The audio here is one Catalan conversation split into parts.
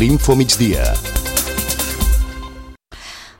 l'Info Migdia.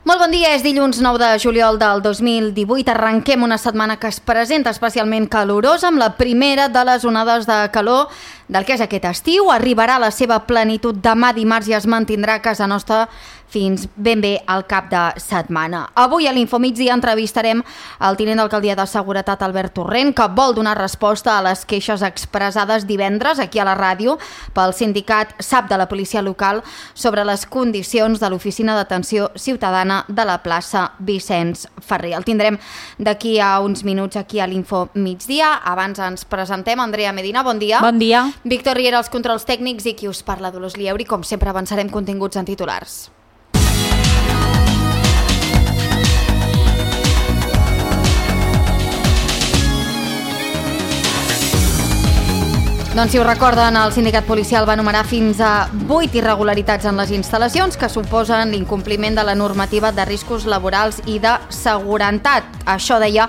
Molt bon dia, és dilluns 9 de juliol del 2018. Arrenquem una setmana que es presenta especialment calorosa amb la primera de les onades de calor del que és aquest estiu. Arribarà a la seva plenitud demà dimarts i es mantindrà a casa nostra fins ben bé al cap de setmana. Avui a l'Info Migdia entrevistarem el tinent d'alcaldia de Seguretat, Albert Torrent, que vol donar resposta a les queixes expressades divendres aquí a la ràdio pel sindicat SAP de la policia local sobre les condicions de l'oficina d'atenció ciutadana de la plaça Vicenç Ferrer. El tindrem d'aquí a uns minuts aquí a l'Info Migdia. Abans ens presentem. Andrea Medina, bon dia. Bon dia. Víctor Riera, els controls tècnics, i qui us parla, Dolors Lieuri. Com sempre avançarem continguts en titulars. Doncs si ho recorden, el sindicat policial va enumerar fins a 8 irregularitats en les instal·lacions que suposen l'incompliment de la normativa de riscos laborals i de seguretat. Això deia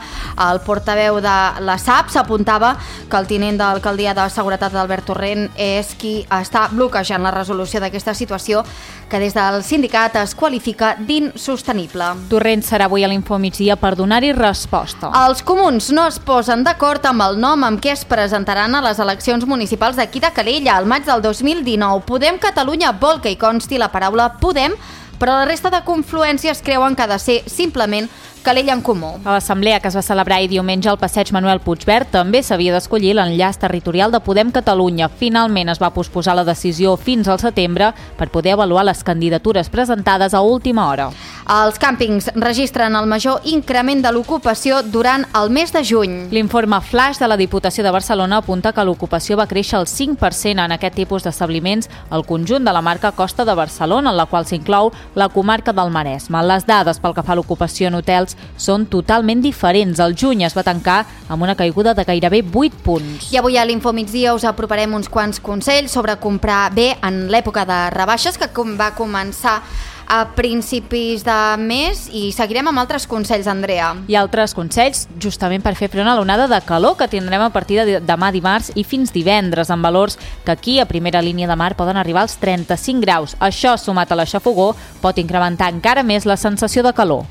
el portaveu de la SAP. S'apuntava que el tinent d'alcaldia de Seguretat, Albert Torrent, és qui està bloquejant la resolució d'aquesta situació que des del sindicat es qualifica d'insostenible. Torrent serà avui a l'Info Migdia per donar-hi resposta. Els comuns no es posen d'acord amb el nom amb què es presentaran a les eleccions municipals d'aquí de Calella al maig del 2019. Podem Catalunya vol que hi consti la paraula Podem, però la resta de confluències creuen que ha de ser simplement Calella en Comú. A l'assemblea que es va celebrar ahir diumenge al passeig Manuel Puigverd també s'havia d'escollir l'enllaç territorial de Podem Catalunya. Finalment es va posposar la decisió fins al setembre per poder avaluar les candidatures presentades a última hora. Els càmpings registren el major increment de l'ocupació durant el mes de juny. L'informe flash de la Diputació de Barcelona apunta que l'ocupació va créixer el 5% en aquest tipus d'establiments al conjunt de la marca Costa de Barcelona, en la qual s'inclou la comarca del Maresme. Les dades pel que fa a l'ocupació en hotels són totalment diferents. El juny es va tancar amb una caiguda de gairebé 8 punts. I avui a l'Info Migdia us aproparem uns quants consells sobre comprar bé en l'època de rebaixes que va començar a principis de mes, i seguirem amb altres consells, Andrea. I altres consells justament per fer front a l'onada de calor que tindrem a partir de demà dimarts i fins divendres, amb valors que aquí a primera línia de mar poden arribar als 35 graus. Això, sumat a la xafogor, pot incrementar encara més la sensació de calor.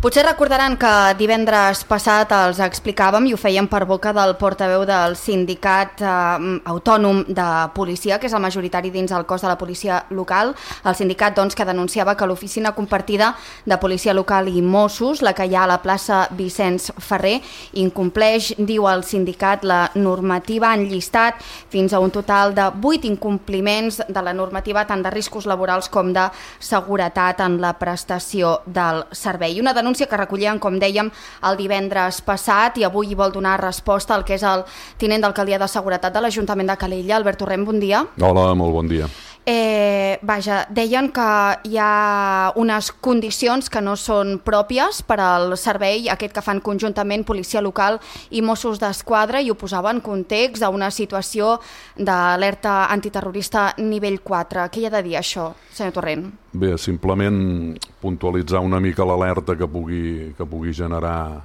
Potser recordaran que divendres passat els explicàvem i ho fèiem per boca del portaveu del sindicat autònom de policia, que és el majoritari dins el cos de la policia local. El sindicat, doncs, que denunciava que l'oficina compartida de policia local i Mossos, la que hi ha a la plaça Vicenç Ferrer, incompleix, diu el sindicat, la normativa. Han llistat fins a un total de 8 incompliments de la normativa, tant de riscos laborals com de seguretat en la prestació del servei. Una denúncia que recollien, com dèiem, el divendres passat, i avui hi vol donar resposta al que és el tinent d'alcaldia de Seguretat de l'Ajuntament de Calella. Albert Torrent, bon dia. Hola, molt bon dia. Deien que hi ha unes condicions que no són pròpies per al servei aquest que fan conjuntament policia local i Mossos d'Esquadra, i ho posava en context a una situació d'alerta antiterrorista nivell 4. Què hi ha de dir això, senyor Torrent? Bé, simplement puntualitzar una mica l'alerta que pugui generar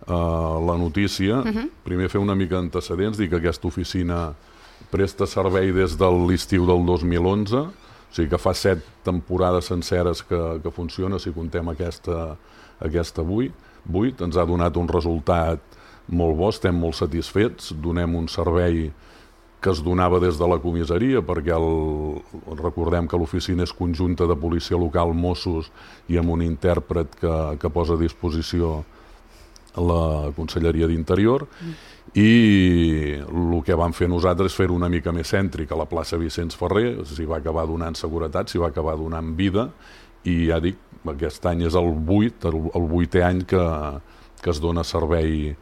la notícia. Primer fer una mica d'antecedents, dir que aquesta oficina presta servei des de l'estiu del 2011, o sigui que fa 7 temporades senceres que funciona, si contem aquesta 8. Ens ha donat un resultat molt bo, estem molt satisfets, donem un servei que es donava des de la comissaria, perquè recordem que l'oficina és conjunta de policia local, Mossos, i amb un intèrpret que posa a disposició la Conselleria d'Interior, i el que vam fer nosaltres és fer-ho una mica més cèntric a la plaça Vicenç Ferrer. S'hi va acabar donant seguretat, s'hi va acabar donant vida, i ja dic, aquest any és el 8è any que es dona servei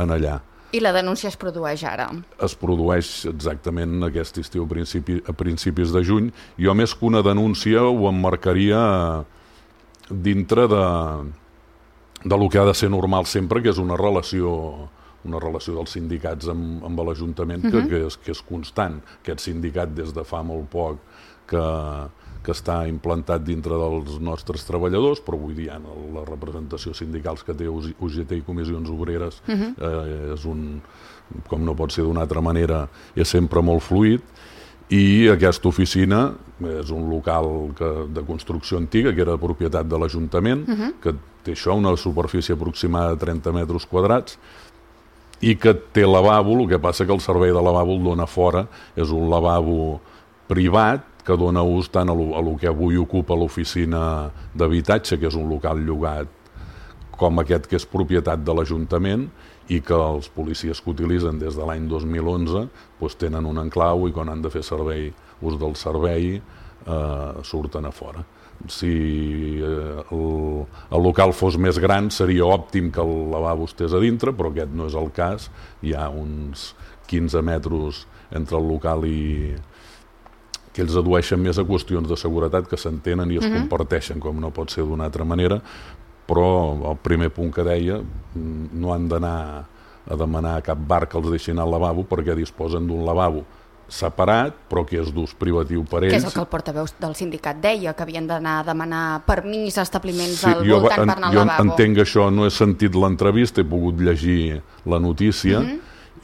en allà. I la denúncia es produeix ara? Es produeix exactament aquest estiu, a principis de juny. Jo, més que una denúncia, ho emmarcaria dintre de lo que ha de ser normal sempre, que és una relació dels sindicats amb l'Ajuntament que és constant. Aquest sindicat des de fa molt poc que que està implantat dintre dels nostres treballadors, però vull dir, la representació sindicals que té UGT i Comissions Obreres és com no pot ser d'una altra manera, és sempre molt fluid, i aquesta oficina és un local de construcció antiga, que era propietat de l'Ajuntament, que té això, una superfície aproximada de 30 metres quadrats, i que té lavabo. El que passa que el servei de lavabo el dona fora, és un lavabo privat que dona ús tant a lo que avui ocupa l'oficina d'habitatge, que és un local llogat, com aquest que és propietat de l'Ajuntament, i que els policies que utilitzen des de l'any 2011 tenen un enclau, i quan han de fer ús del servei surten a fora. Si el local fos més gran seria òptim que el lavabo estés a dintre, però aquest no és el cas. Hi ha uns 15 metres entre el local i que ells adueixen més a qüestions de seguretat que s'entenen i es comparteixen, com no pot ser d'una altra manera, però el primer punt que deia, no han d'anar a demanar a cap bar que els deixin al lavabo, perquè disposen d'un lavabo separat, però que és d'ús privatiu per ells. Que és el que el portaveu del sindicat deia, que havien d'anar a demanar permís a establiments al voltant per anar al lavabo. Jo entenc això, no he sentit l'entrevista, he pogut llegir la notícia,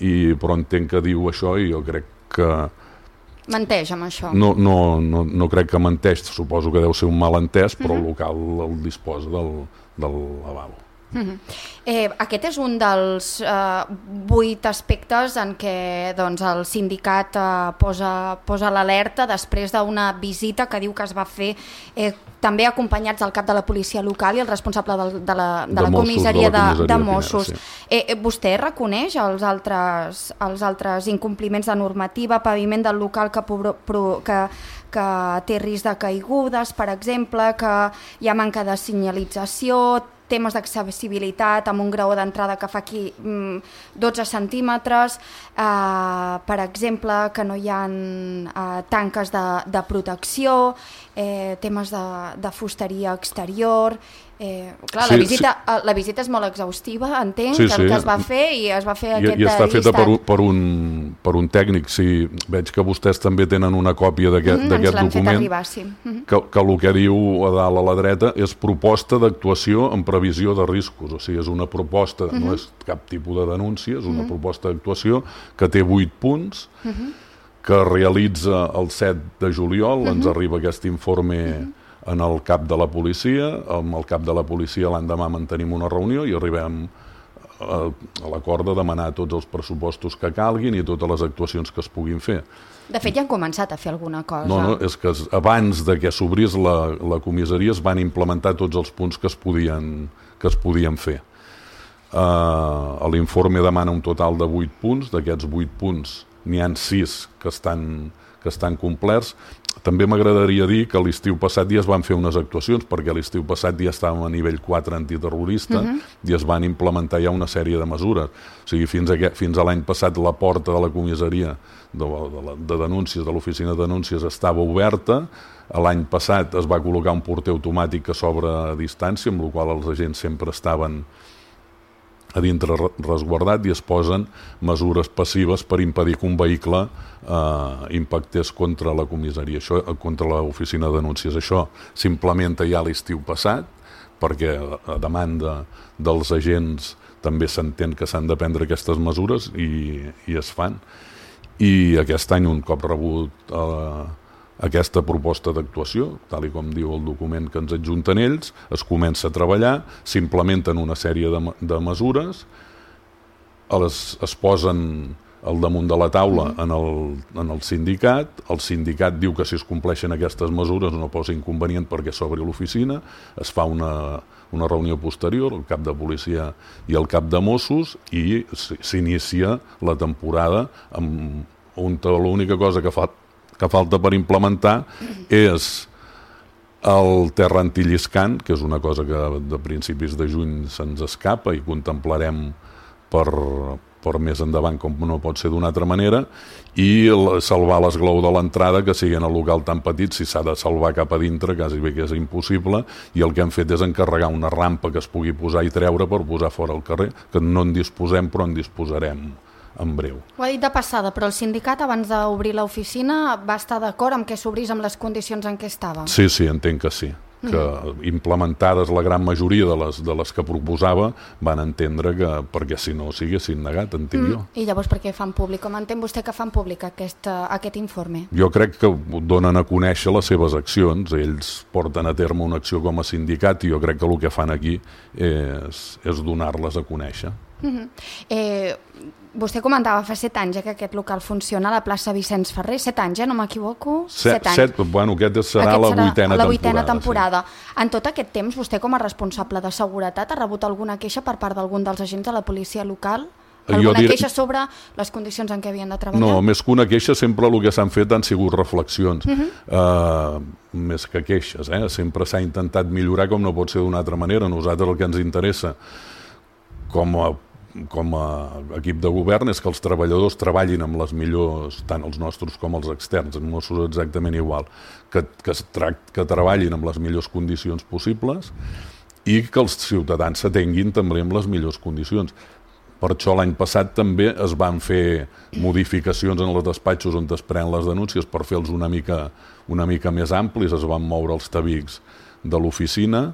però entenc que diu això i jo crec que... Menteix amb això? No crec que menteix, suposo que deu ser un malentès, però el local el disposa del lavabo. Aquest és un dels 8 aspectes en què el sindicat posa l'alerta després d'una visita que diu que es va fer també acompanyats del cap de la policia local i el responsable de la comissaria de Mossos. Vostè reconeix els altres incompliments de normativa, paviment del local que té risc de caigudes, per exemple, que hi ha manca de senyalització, temes d'accessibilitat amb un graó d'entrada que fa aquí 12 centímetres, per exemple, que no hi ha tanques de protecció, temes de fusteria exterior... Clar, la visita és molt exhaustiva, entenc, que es va fer i es va fer aquest llistat. I està feta per un tècnic. Veig que vostès també tenen una còpia d'aquest document, que el que diu a dalt a la dreta és proposta d'actuació en previsió de riscos. O sigui, és una proposta, no és cap tipus de denúncia, és una proposta d'actuació que té 8 punts, que realitza el 7 de juliol, ens arriba aquest informe en el cap de la policia. Amb el cap de la policia l'endemà mantenim una reunió i arribem a l'acord de demanar tots els pressupostos que calguin i totes les actuacions que es puguin fer. De fet, ja han començat a fer alguna cosa. No, és que abans de que s'obrís la comissaria es van implementar tots els punts que es podien fer. L'informe demana un total de 8 punts, d'aquests 8 punts n'hi ha 6 que estan complerts. També m'agradaria dir que l'estiu passat ja es van fer unes actuacions, perquè l'estiu passat ja estàvem a nivell 4 antiterrorista i es van implementar ja una sèrie de mesures. O sigui, fins a l'any passat la porta de la comissaria de denúncies, de l'oficina de denúncies, estava oberta. L'any passat es va col·locar un porter automàtic que s'obre a distància, amb la qual els agents sempre estaven a dintre resguardat, i es posen mesures passives per impedir que un vehicle impactés contra la comissaria, contra l'oficina de denúncies. Això s'implementa ja l'estiu passat, perquè a demanda dels agents també s'entén que s'han de prendre aquestes mesures i es fan. I aquest any, un cop rebut aquesta proposta d'actuació, tal com diu el document que ens adjunten ells, es comença a treballar, s'implementen una sèrie de mesures, es posen al damunt de la taula en el sindicat diu que si es compleixen aquestes mesures no posa inconvenient perquè s'obri l'oficina, es fa una reunió posterior, el cap de policia i el cap de Mossos, i s'inicia la temporada on l'única cosa que falta per implementar és el terra antilliscant, que és una cosa que de principis de juny se'ns escapa i contemplarem per més endavant, com no pot ser d'una altra manera, i salvar l'esglau de l'entrada, que sigui en el local tan petit, si s'ha de salvar cap a dintre, quasi bé que és impossible, i el que hem fet és encarregar una rampa que es pugui posar i treure per posar fora al carrer, que no en disposem, però en disposarem en breu. Ho ha dit de passada, però el sindicat abans d'obrir l'oficina va estar d'acord amb que s'obrís amb les condicions en què estava? Sí, entenc que sí. Que implementades la gran majoria de les que proposava van entendre que, perquè si no s'haguessin negat, entenc jo. I llavors per què fan públic? Com entén vostè que fan públic aquest informe? Jo crec que donen a conèixer les seves accions. Ells porten a terme una acció com a sindicat i jo crec que el que fan aquí és donar-les a conèixer. Vostè comentava fa 7 anys que aquest local funciona a la plaça Vicenç Ferrer. 7 anys, no m'equivoco? 7 anys. Bueno, aquesta serà la vuitena temporada. Sí. En tot aquest temps, vostè com a responsable de seguretat ha rebut alguna queixa per part d'algun dels agents de la policia local? Alguna queixa sobre les condicions en què havien de treballar? No, més que una queixa, sempre el que s'han fet han sigut reflexions. Més que queixes, Sempre s'ha intentat millorar com no pot ser d'una altra manera. A nosaltres el que ens interessa com a equip de govern és que els treballadors treballin amb les millors, tant els nostres com els externs, amb Mossos exactament igual, que treballin amb les millors condicions possibles i que els ciutadans s'atenguin també amb les millors condicions. Per això l'any passat també es van fer modificacions en els despatxos on es prenen les denúncies per fer-los una mica més amplis, es van moure els tabics de l'oficina.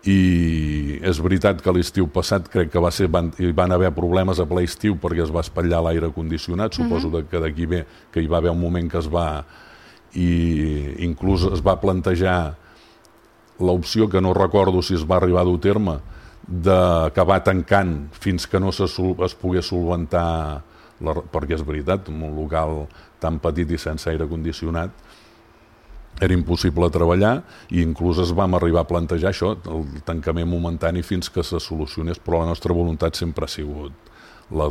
I és veritat que l'estiu passat crec que van haver problemes a ple estiu perquè es va espatllar l'aire condicionat, suposo que d'aquí ve que hi va haver un moment que i inclús es va plantejar l'opció, que no recordo si es va arribar a dur terme, d'acabar tancant fins que no es pogués solventar, perquè és veritat, en un local tan petit i sense aire condicionat era impossible treballar i inclús es vam arribar a plantejar això, el tancament momentani fins que se solucionés, però la nostra voluntat sempre ha sigut la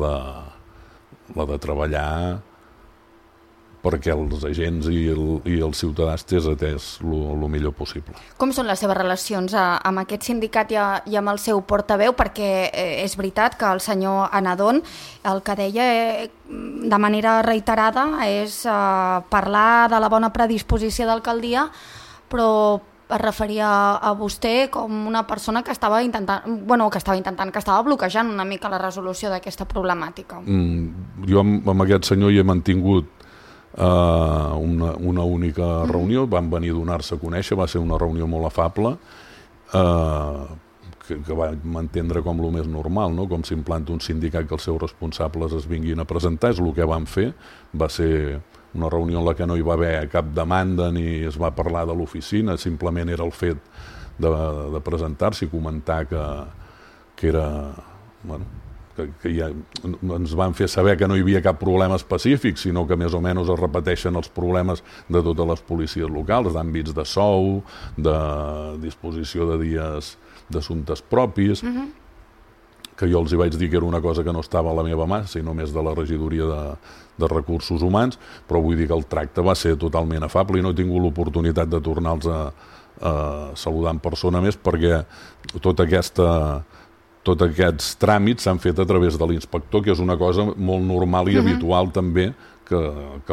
de treballar perquè els agents i el ciutadà estés atès el millor possible. Com són les seves relacions amb aquest sindicat i amb el seu portaveu? Perquè és veritat que el senyor Anadón el que deia de manera reiterada és parlar de la bona predisposició d'alcaldia, però es referia a vostè com una persona que estava bloquejant una mica la resolució d'aquesta problemàtica. Jo amb aquest senyor hi he mantingut una única reunió, van venir a donar-se a conèixer, va ser una reunió molt afable que vam entendre com el més normal, no? Com s'implanta un sindicat que els seus responsables es vinguin a presentar, és el que van fer. Va ser una reunió en la que no hi va haver cap demanda ni es va parlar de l'oficina, simplement era el fet de presentar-se i comentar que era... que ja ens van fer saber que no hi havia cap problema específic, sinó que més o menys es repeteixen els problemes de totes les policies locals, d'àmbits de sou, de disposició de dies d'assumptes propis, que jo els hi vaig dir que era una cosa que no estava a la meva mà, sinó més de la regidoria de recursos humans, però vull dir que el tracte va ser totalment afable i no he tingut l'oportunitat de tornar-los a saludar en persona més perquè tots aquests tràmits s'han fet a través de l'inspector, que és una cosa molt normal i habitual també, que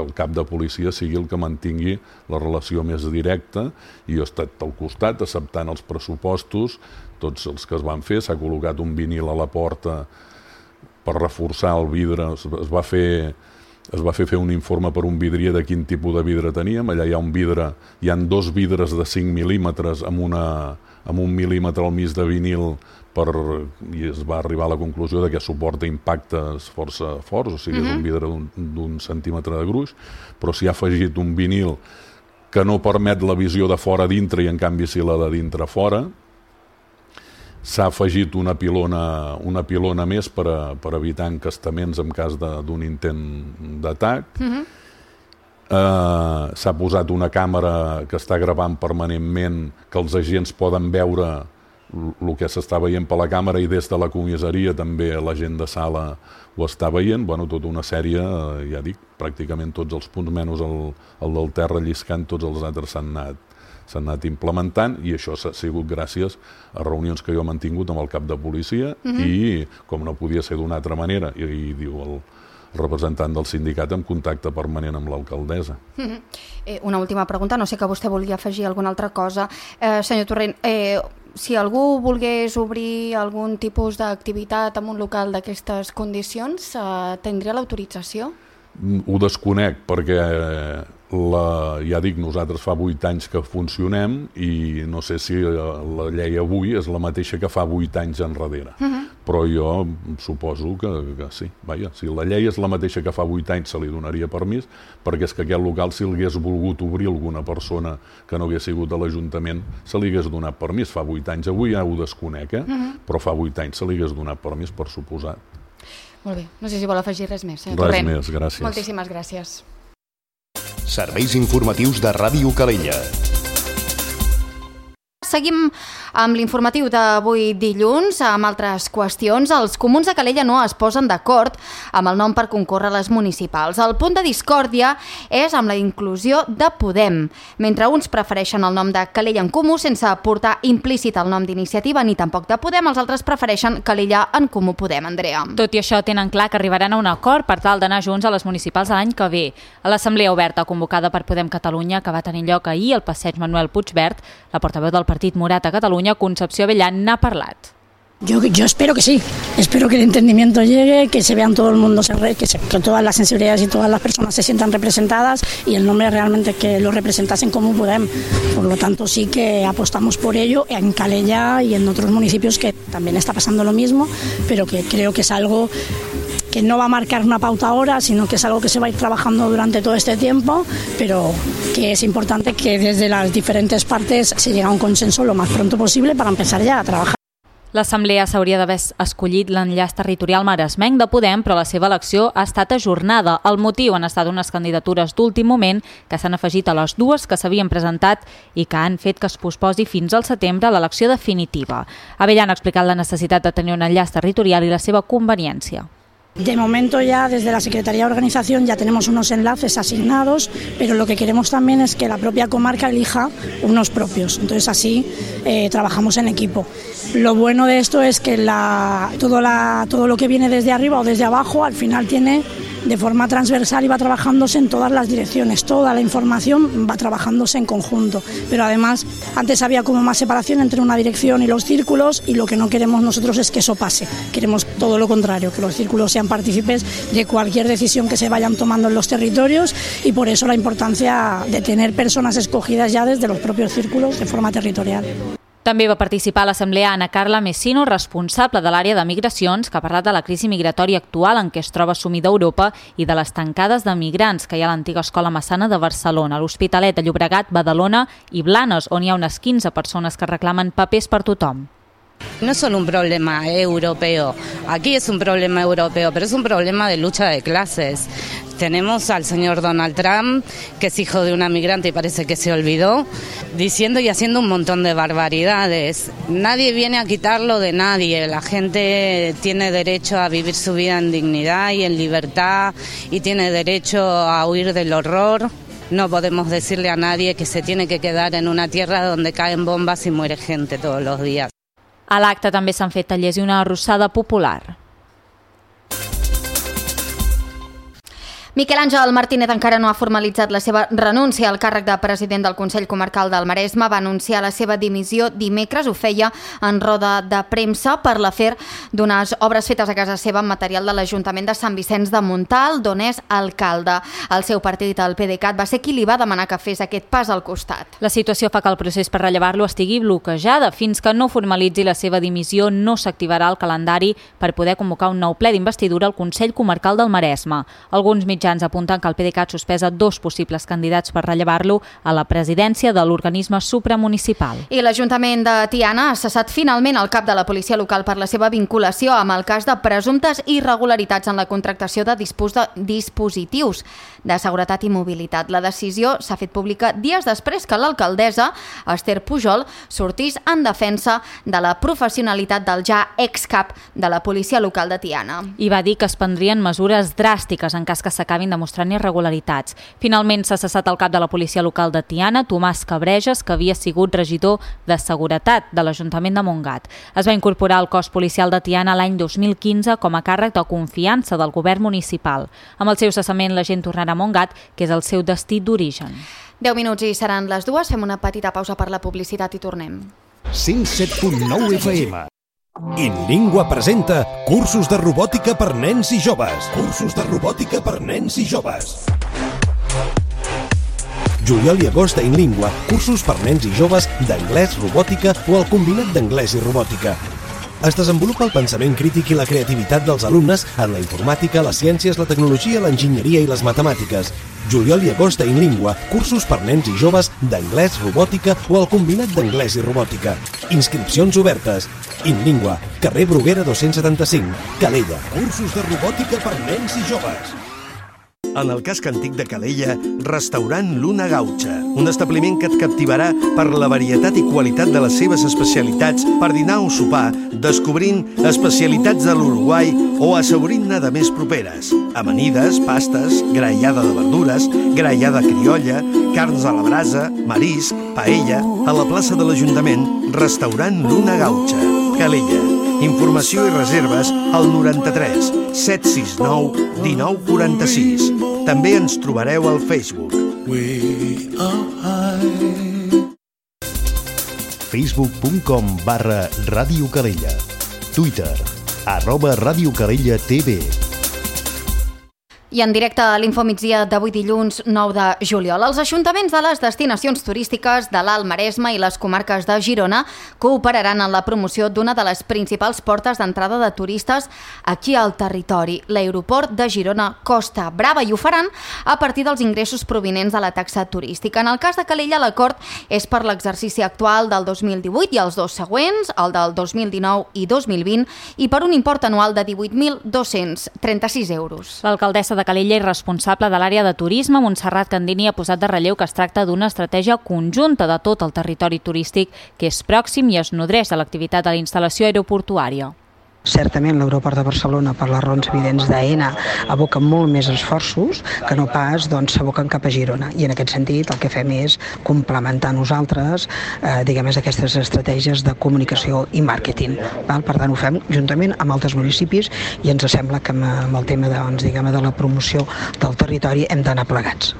el cap de policia sigui el que mantingui la relació més directa, i jo he estat al costat acceptant els pressupostos, tots els que es van fer, s'ha col·locat un vinil a la porta per reforçar el vidre, es va fer un informe per un vidrier de quin tipus de vidre teníem, allà hi ha 2 vidres de 5 mil·límetres amb un mil·límetre al mig de vinil i es va arribar a la conclusió de que suporta impactes força forts, o sigui, és un vidre d'un centímetre de gruix, però s'hi ha afegit un vinil que no permet la visió de fora a dintre i en canvi sí la de dintre a fora. S'ha afegit una pilona més per evitar encastaments en cas d'un intent d'atac. S'ha posat una càmera que està gravant permanentment, que els agents poden veure el que s'està veient per la càmera, i des de la comissaria també la gent de sala ho està veient. Tota una sèrie, ja dic, pràcticament tots els punts, menys el del terra lliscant, tots els altres s'han anat implementant, i això s'ha sigut gràcies a reunions que jo he mantingut amb el cap de policia i, com no podia ser d'una altra manera, i diu representant del sindicat en contacte permanent amb l'alcaldessa. Una última pregunta, no sé que vostè volia afegir alguna altra cosa. Senyor Torrent, si algú volgués obrir algun tipus d'activitat en un local d'aquestes condicions, tindria l'autorització? Ho desconec perquè, ja dic, nosaltres fa 8 anys que funcionem i no sé si la llei avui és la mateixa que fa 8 anys enrere. Però jo suposo que sí. Vaja, si la llei és la mateixa que fa 8 anys se li donaria permís, perquè és que aquest local, si l'hagués volgut obrir alguna persona que no hagués sigut a l'Ajuntament, se li hagués donat permís. Fa 8 anys, avui ja ho desconec, però fa 8 anys se li hagués donat permís, per suposat. Molt bé, no sé si vol afegir res més. Res més, gràcies. Moltíssimes gràcies. Serveis informatius de Ràdio Calella. Seguim amb l'informatiu d'avui dilluns, amb altres qüestions. Els comuns de Calella no es posen d'acord amb el nom per concórrer a les municipals. El punt de discòrdia és amb la inclusió de Podem. Mentre uns prefereixen el nom de Calella en Comú sense portar implícit el nom d'Iniciativa ni tampoc de Podem, els altres prefereixen Calella en Comú Podem. Andrea. Tot i això, tenen clar que arribaran a un acord per tal d'anar junts a les municipals l'any que ve. A l'assemblea oberta convocada per Podem Catalunya, que va tenir lloc ahir al passeig Manuel Puigverd, la portaveu del Partit Morat a Catalunya, Concepció Abellán, n'ha parlat. Yo espero que sí, espero que el entendimiento llegue, que se vean todo el mundo, que todas las sensibilidades y todas las personas se sientan representadas y el nombre realmente que lo representasen como Podem. Por lo tanto, sí que apostamos por ello en Calella y en otros municipios que también está pasando lo mismo, pero que creo que es algo que no va a marcar una pauta ahora, sino que es algo que se va a ir trabajando durante todo este tiempo, pero que es importante que desde las diferentes partes se llegue a un consenso lo más pronto posible para empezar ya a trabajar. L'Assemblea s'hauria d'haver escollit l'enllaç territorial maresmenc de Podem, però la seva elecció ha estat ajornada. El motiu han estat unes candidatures d'últim moment que s'han afegit a les dues que s'havien presentat i que han fet que es posposi fins al setembre l'elecció definitiva. Abellán ha explicat la necessitat de tenir un enllaç territorial i la seva conveniència. De momento ya desde la Secretaría de Organización ya tenemos unos enlaces asignados, pero lo que queremos también es que la propia comarca elija unos propios. Entonces así trabajamos en equipo. Lo bueno de esto es que todo lo que viene desde arriba o desde abajo al final tiene de forma transversal y va trabajándose en todas las direcciones. Toda la información va trabajándose en conjunto. Pero además antes había como más separación entre una dirección y los círculos y lo que no queremos nosotros es que eso pase. Queremos todo lo contrario, que los círculos sean partícipes de cualquier decisión que se vayan tomando en los territorios y por eso la importancia de tener personas escogidas ya desde los propios círculos de forma territorial. També va participar a l'assemblea Ana Carla Messino, responsable de l'àrea de migracions, que ha parlat de la crisi migratòria actual en què es troba sumida Europa i de les tancades de migrants que hi ha a l'antiga escola Massana de Barcelona, l'Hospitalet de Llobregat, Badalona i Blanes, on hi ha unes 15 persones que reclamen papers per tothom. No es solo un problema europeo, aquí es un problema europeo, pero es un problema de lucha de clases. Tenemos al señor Donald Trump, que es hijo de una migrante y parece que se olvidó, diciendo y haciendo un montón de barbaridades. Nadie viene a quitarlo de nadie, la gente tiene derecho a vivir su vida en dignidad y en libertad y tiene derecho a huir del horror. No podemos decirle a nadie que se tiene que quedar en una tierra donde caen bombas y muere gente todos los días. A l'acte també s'han fet tallers i una arrossada popular. Miquel Àngel Martínez encara no ha formalitzat la seva renúncia al càrrec de president del Consell Comarcal del Maresme. Va anunciar la seva dimissió dimecres. Ho feia en roda de premsa per l'afer d'unes obres fetes a casa seva amb material de l'Ajuntament de Sant Vicenç de Montalt, d'on és alcalde. El seu partit, el PDeCAT, va ser qui li va demanar que fes aquest pas al costat. La situació fa que el procés per rellevar-lo estigui bloquejada. Fins que no formalitzi la seva dimissió, no s'activarà el calendari per poder convocar un nou ple d'investidura al Consell Comarcal del Maresme. Alguns mitjans apunten que el PDeCAT sospesa 2 possibles candidats per rellevar-lo a la presidència de l'organisme supramunicipal. I l'Ajuntament de Tiana ha cessat finalment el cap de la policia local per la seva vinculació amb el cas de presumptes irregularitats en la contractació de dispositius de seguretat i mobilitat. La decisió s'ha fet pública dies després que l'alcaldessa, Esther Pujol, sortís en defensa de la professionalitat del ja excap de la policia local de Tiana. I va dir que es prendrien mesures dràstiques en cas que s'acabés s'acabin demostrant irregularitats. Finalment s'ha cessat el cap de la policia local de Tiana, Tomàs Cabrejas, que havia sigut regidor de Seguretat de l'Ajuntament de Montgat. Es va incorporar al cos policial de Tiana l'any 2015 com a càrrec de confiança del govern municipal. Amb el seu cessament, la gent tornarà a Montgat, que és el seu destí d'origen. 10 minuts i seran les 2. Fem una petita pausa per la publicitat i tornem. 107.9 FM. InLingua presenta cursos de robòtica per nens i joves. Cursos de robòtica per nens i joves. Juliol i agost a InLingua, cursos per nens i joves d'anglès, robòtica o el combinat d'anglès i robòtica. Es desenvolupa el pensament crític i la creativitat dels alumnes en la informàtica, les ciències, la tecnologia, l'enginyeria i les matemàtiques. Juliol i agost a InLingua, cursos per nens i joves d'anglès, robòtica o el combinat d'anglès i robòtica. Inscripcions obertes. InLingua, carrer Bruguera 275, Calella. Cursos de robòtica per nens i joves. En el casc antic de Calella, restaurant Luna Gaucha, un establiment que et captivarà per la varietat i qualitat de les seves especialitats per dinar o sopar, descobrint especialitats de l'Uruguai o assaborint-ne de més properes. Amanides, pastes, graellada de verdures, graellada criolla, carns a la brasa, marisc, paella, a la plaça de l'Ajuntament, restaurant Luna Gaucha, Calella. Informació i reserves al 93 769 1946. També ens trobareu al Facebook. Facebook.com/Ràdio Calella. Twitter @Ràdio Calella TV. I en directe a l'Infomigdia d'avui dilluns 9 de juliol, els ajuntaments de les destinacions turístiques de l'Alt Maresme i les comarques de Girona cooperaran en la promoció d'una de les principals portes d'entrada de turistes aquí al territori, l'aeroport de Girona Costa Brava, i ho faran a partir dels ingressos provinents de la taxa turística. En el cas de Calella, l'acord és per l'exercici actual del 2018 i els dos següents, el del 2019 i 2020, i per un import anual de 18.236 euros. L'alcaldessa de Calella i responsable de l'àrea de turisme, Montserrat Candini, ha posat de relleu que es tracta d'una estratègia conjunta de tot el territori turístic que és pròxim i es nodreix de l'activitat de la instal·lació aeroportuària. Certament l'aeroport de Barcelona, per les raons evidents d'AENA, aboca molt més esforços que no pas s'aboquen cap a Girona. I en aquest sentit el que fem és complementar nosaltres aquestes estratègies de comunicació i màrqueting. Per tant, ho fem juntament amb altres municipis i ens sembla que amb el tema de la promoció del territori hem d'anar plegats.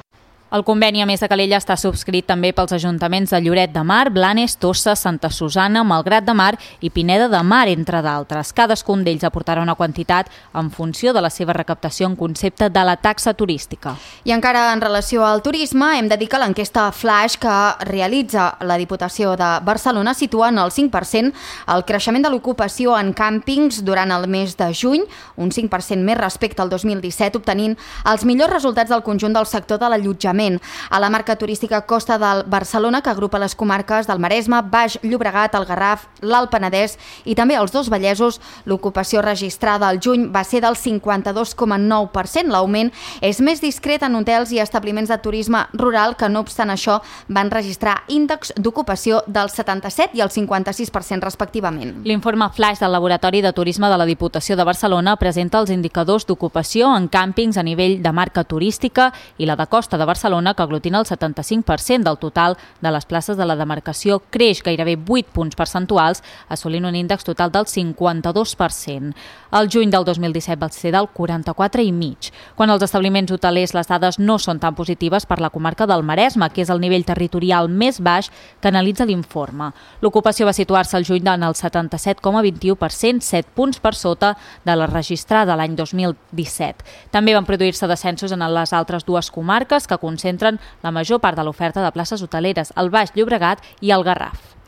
El conveni, a més de Calella, està subscrit també pels ajuntaments de Lloret de Mar, Blanes, Tossa, Santa Susana, Malgrat de Mar i Pineda de Mar, entre d'altres. Cadascun d'ells aportarà una quantitat en funció de la seva recaptació en concepte de la taxa turística. I encara en relació al turisme, hem de dir que l'enquesta Flash que realitza la Diputació de Barcelona situa en el 5% el creixement de l'ocupació en càmpings durant el mes de juny, un 5% més respecte al 2017, obtenint els millors resultats del conjunt del sector de l'allotjament. A la marca turística Costa del Barcelona, que agrupa les comarques del Maresme, Baix Llobregat, el Garraf, l'Alt Penedès i també els dos Vallesos, l'ocupació registrada al juny va ser del 52,9%. L'augment és més discret en hotels i establiments de turisme rural, que no obstant això van registrar índexs d'ocupació del 77 i el 56% respectivament. L'informe Flash del Laboratori de Turisme de la Diputació de Barcelona presenta els indicadors d'ocupació en càmpings a nivell de marca turística i la de Costa de Barcelona, que aglutina el 75% del total de les places de la demarcació, creix gairebé 8 punts percentuals, assolint un índex total del 52%. El juny del 2017 va ser del 44,5%. Quan als establiments hotelers les dades no són tan positives per la comarca del Maresme, que és el nivell territorial més baix que analitza l'informe. L'ocupació va situar-se al juny en el 77,21%, 7 punts per sota de la registrada l'any 2017. També van produir-se descensos en les altres dues comarques que concentren la major part de l'oferta de places hoteleres, el Baix Llobregat i el Garraf.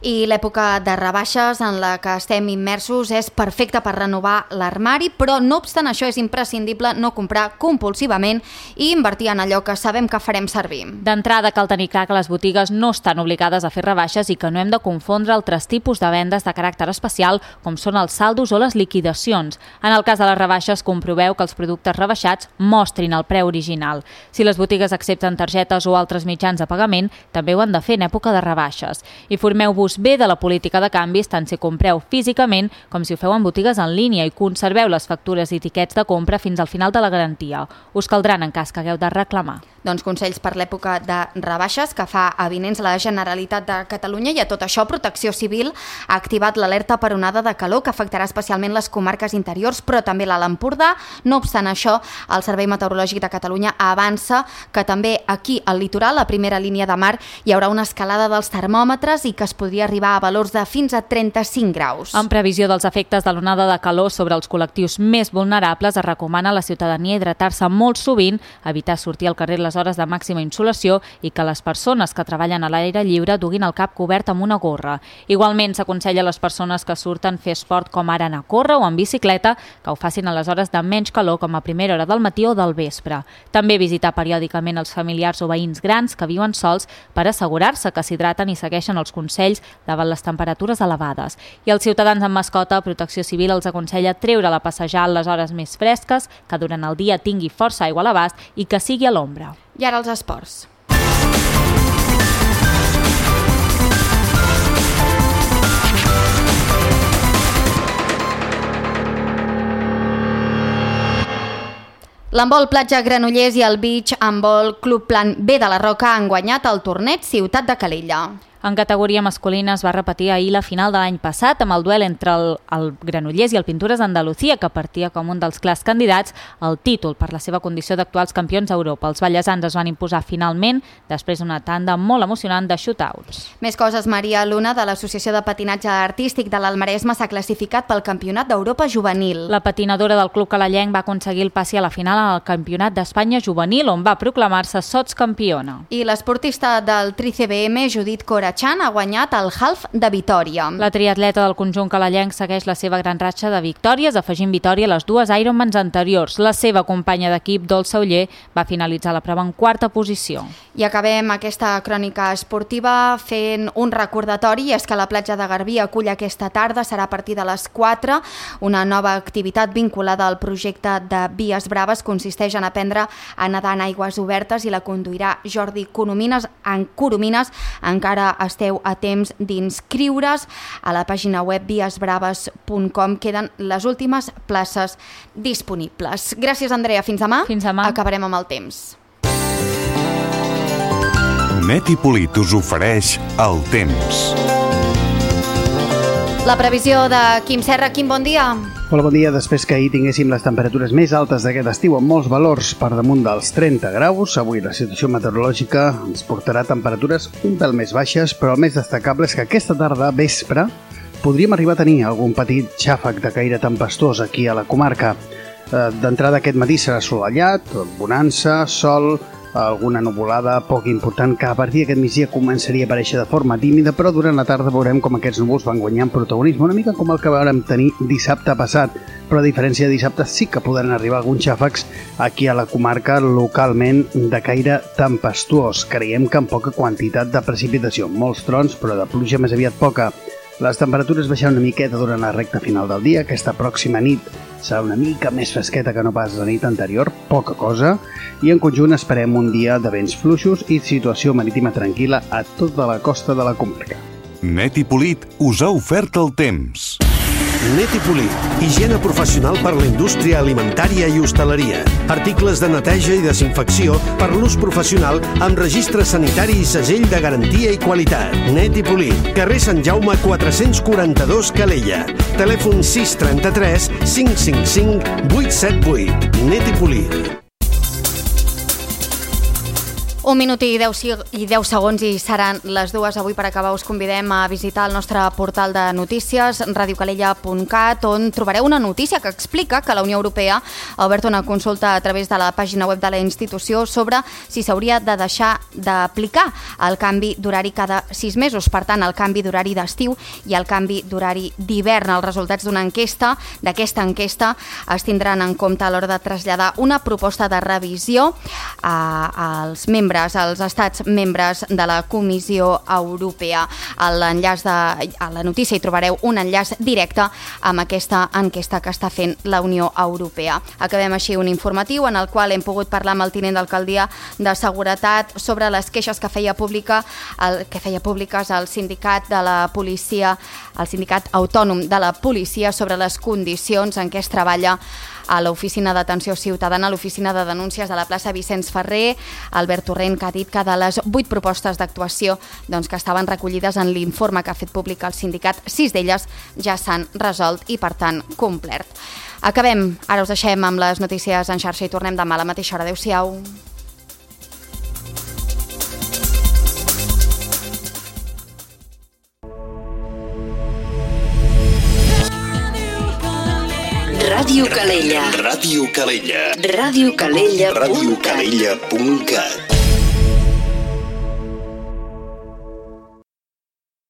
I l'època de rebaixes en la que estem immersos és perfecta per renovar l'armari, però no obstant això és imprescindible no comprar compulsivament i invertir en allò que sabem que farem servir. D'entrada cal tenir clar que les botigues no estan obligades a fer rebaixes i que no hem de confondre altres tipus de vendes de caràcter especial com són els saldos o les liquidacions. En el cas de les rebaixes, comproveu que els productes rebaixats mostrin el preu original. Si les botigues accepten targetes o altres mitjans de pagament, també ho han de fer en època de rebaixes. I Informeu-vos bé de la política de canvis tant si compreu físicament com si ho feu en botigues en línia i conserveu les factures i tiquets de compra fins al final de la garantia. Us caldran en cas que hagueu de reclamar. Doncs consells per l'època de rebaixes que fa avinents la Generalitat de Catalunya i a tot això Protecció Civil ha activat l'alerta per onada de calor que afectarà especialment les comarques interiors però també l'Alt Empordà. No obstant això, el Servei Meteorològic de Catalunya avança que també aquí al litoral, a primera línia de mar, hi haurà una escalada dels termòmetres i que es podria arribar a valors de fins a 35 graus. En previsió dels efectes de l'onada de calor sobre els col·lectius més vulnerables, es recomana a la ciutadania hidratar-se molt sovint, evitar sortir al carrer les hores de màxima insolació i que les persones que treballen a l'aire lliure duguin el cap cobert amb una gorra. Igualment, s'aconsella a les persones que surten fer esport com ara anar a córrer o en bicicleta que ho facin a les hores de menys calor com a primera hora del matí o del vespre. També visitar periòdicament els familiars o veïns grans que viuen sols per assegurar-se que s'hidraten i segueixen els consells davant les temperatures elevades. I als ciutadans amb mascota, Protecció Civil els aconsella treure-la a passejar a les hores més fresques, que durant el dia tingui força aigua a l'abast i que sigui a l'ombra. I ara els esports. L'handbol Platja Granollers i el Beach Handbol Club Plan B de la Roca han guanyat el torneig Ciutat de Calella. En categoria masculina es va repetir ahir la final de l'any passat amb el duel entre el Granollers i el Pintures Andalucía, que partia com un dels clars candidats al títol per la seva condició d'actuals campions d'Europa. Els ballesans es van imposar finalment després d'una tanda molt emocionant de shootouts. Més coses, Maria Luna, de l'Associació de Patinatge Artístic de l'Almaresme, s'ha classificat pel Campionat d'Europa Juvenil. La patinadora del club calellenc va aconseguir el passi a la final al Campionat d'Espanya Juvenil, on va proclamar-se sotscampiona. I l'esportista del TriCBM, Judit Corachan, ha guanyat el half de Vitòria. La triatleta del conjunt calellenc segueix la seva gran ratxa de victòries, afegint victòria a les dues Ironmans anteriors. La seva companya d'equip, Dolça Oller, va finalitzar la prova en quarta posició. I acabem aquesta crònica esportiva fent un recordatori, i és que la platja de Garbí acull aquesta tarda, serà a partir de les 4, una nova activitat vinculada al projecte de Vies Braves. Consisteix en aprendre a nedar en aigües obertes i la conduirà Jordi Coromines. Encara esteu a temps d'inscriure's a la pàgina web viesbraves.com. Queden les últimes places disponibles. Gràcies, Andrea. Fins demà. Fins demà. Acabarem amb el temps. Net i Polit us ofereix el temps. La previsió de Quim Serra. Quim, bon dia. Hola, bon dia. Després que ahir tinguéssim les temperatures més altes d'aquest estiu amb molts valors per damunt dels 30 graus, avui la situació meteorològica ens portarà temperatures un pèl més baixes, però el més destacable és que aquesta tarda, vespre, podríem arribar a tenir algun petit xàfec de caire tempestuós aquí a la comarca. D'entrada aquest matí serà assolellat, bonança, sol, alguna nuvolada poc important que a partir d'aquest migdia començaria a aparèixer de forma tímida, però durant la tarda veurem com aquests núvols van guanyant protagonisme, una mica com el que vam tenir dissabte passat, però a diferència de dissabte sí que podran arribar alguns xàfecs aquí a la comarca localment de caire tempestuós. Creiem que amb poca quantitat de precipitació, molts trons, però de pluja més aviat poca. Les temperatures baixaran una miqueta durant la recta final del dia. Aquesta pròxima nit serà una mica més fresqueta que no pas la nit anterior, poca cosa, i en conjunt esperem un dia de vents fluixos i situació marítima tranquil·la a tota la costa de la comarca. Net i Polit us ha ofert el temps. Net i Polit, higiene professional per la indústria alimentària i hostaleria. Articles de neteja i desinfecció per l'ús professional amb registre sanitari i segell de garantia i qualitat. Net i Polit, carrer Sant Jaume 442 Calella. Telèfon 633 555 878. Net i Polit. 1 minut i 10 segons i seran les 2. Avui per acabar us convidem a visitar el nostre portal de notícies radiocalella.cat, on trobareu una notícia que explica que la Unió Europea ha obert una consulta a través de la pàgina web de la institució sobre si s'hauria de deixar d'aplicar el canvi d'horari cada 6 mesos. Per tant, el canvi d'horari d'estiu i el canvi d'horari d'hivern. Els resultats d'aquesta enquesta es tindran en compte a l'hora de traslladar una proposta de revisió als membres membres, els estats membres de la Comissió Europea. A la notícia hi trobareu un enllaç directe amb aquesta enquesta que està fent la Unió Europea. Acabem així un informatiu en el qual hem pogut parlar amb el tinent d'alcaldia de Seguretat sobre les queixes que feia públiques el sindicat de la policia, el sindicat autònom de la policia, sobre les condicions en què es treballa a l'Oficina d'Atenció Ciutadana, a l'Oficina de Denúncies de la plaça Vicenç Ferrer. Albert Torrent, que ha dit que de les 8 propostes d'actuació que estaven recollides en l'informe que ha fet públic el sindicat, 6 d'elles ja s'han resolt i, per tant, complert. Acabem. Ara us deixem amb les notícies en xarxa i tornem demà a la mateixa hora. Adéu-siau. Ràdio Calella. Ràdio Calella. Ràdio Calella.cat. radiocalella.cat